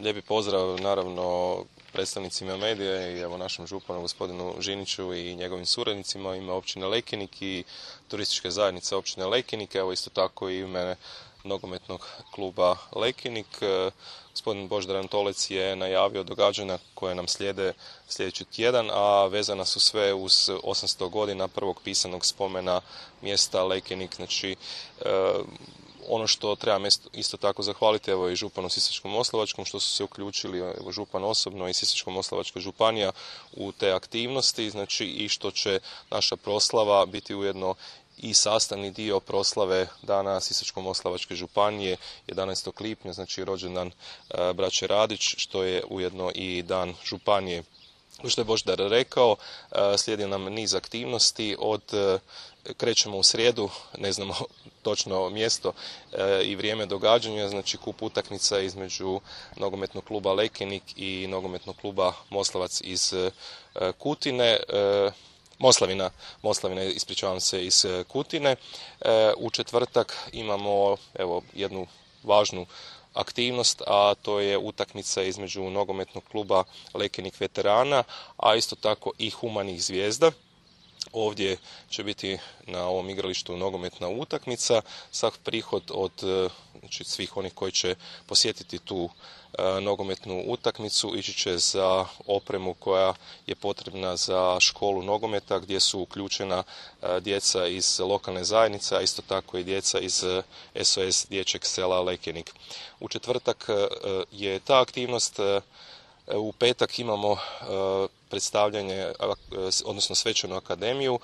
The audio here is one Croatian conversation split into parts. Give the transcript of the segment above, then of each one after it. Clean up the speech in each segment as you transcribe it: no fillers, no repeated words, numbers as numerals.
lijepi pozdrav naravno predstavnicima medije i evo našem županu gospodinu Žiniću i njegovim suradnicima u ime općine Lekenik i turističke zajednice općine Lekenik, evo isto tako i u ime nogometnog kluba Lekenik. Gospodin Božidar Antolec je najavio događanja koje nam slijede sljedeći tjedan, a vezana su sve uz 800 godina prvog pisanog spomena mjesta Lekenik. Znači, ono što trebam isto tako zahvaliti evo i županu Sisačko-moslavačkom što su se uključili evo, župan osobno i Sisačko-moslavačka županija u te aktivnosti, znači i što će naša proslava biti ujedno i sastavni dio proslave dana Sisačko-moslavačke županije 11. lipnja, znači rođendan braće Radić, što je ujedno i dan županije. Što je Božidar rekao, slijedi nam niz aktivnosti, krećemo u srijedu, ne znamo točno mjesto i vrijeme događanja, znači kup utakmica između nogometnog kluba Lekenik i nogometnog kluba Moslavac iz Kutine. Moslavina, ispričavam se, iz Kutine. U četvrtak imamo evo jednu važnu aktivnost, a to je utakmica između nogometnog kluba Lekenik veterana, a isto tako i Humanih zvijezda. Ovdje će biti na ovom igralištu nogometna utakmica. Sav prihod od znači, svih onih koji će posjetiti tu nogometnu utakmicu ići će za opremu koja je potrebna za školu nogometa gdje su uključena djeca iz lokalne zajednice, a isto tako i djeca iz SOS dječjeg sela Lekenik. U četvrtak je ta aktivnost. U petak imamo predstavljanje, odnosno svečanu akademiju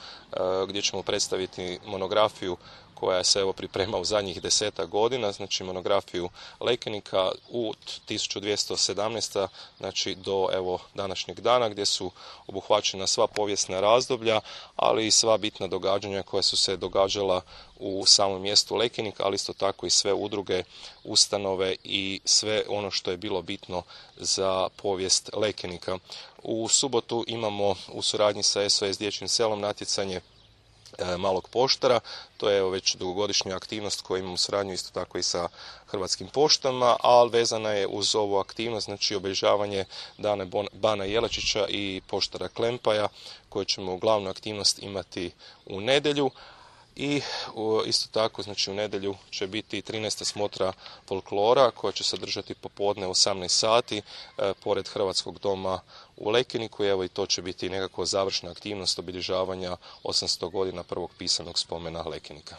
gdje ćemo predstaviti monografiju koja se evo priprema u zadnjih 10 godina, znači monografiju Lekenika od 1217. znači do evo današnjeg dana gdje su obuhvaćena sva povijesna razdoblja, ali i sva bitna događanja koja su se događala u samom mjestu Lekenik, ali isto tako i sve udruge, ustanove i sve ono što je bilo bitno za povijest Lekenika. U subotu imamo u suradnji sa SOS dječjim selom natjecanje malog poštara, to je evo već dugogodišnja aktivnost koju imamo suradnju isto tako i sa Hrvatskim poštama, ali vezana je uz ovu aktivnost, znači obilježavanje dana Bana Jelačića i poštara Klempaja, koje ćemo glavnu aktivnost imati u nedjelju. I isto tako, znači u nedjelju će biti 13. smotra folklora koja će se održati popodne u 18 sati pored Hrvatskog doma u Lekeniku. Evo i to će biti nekako završna aktivnost obilježavanja 800 godina prvog pisanog spomena Lekenika.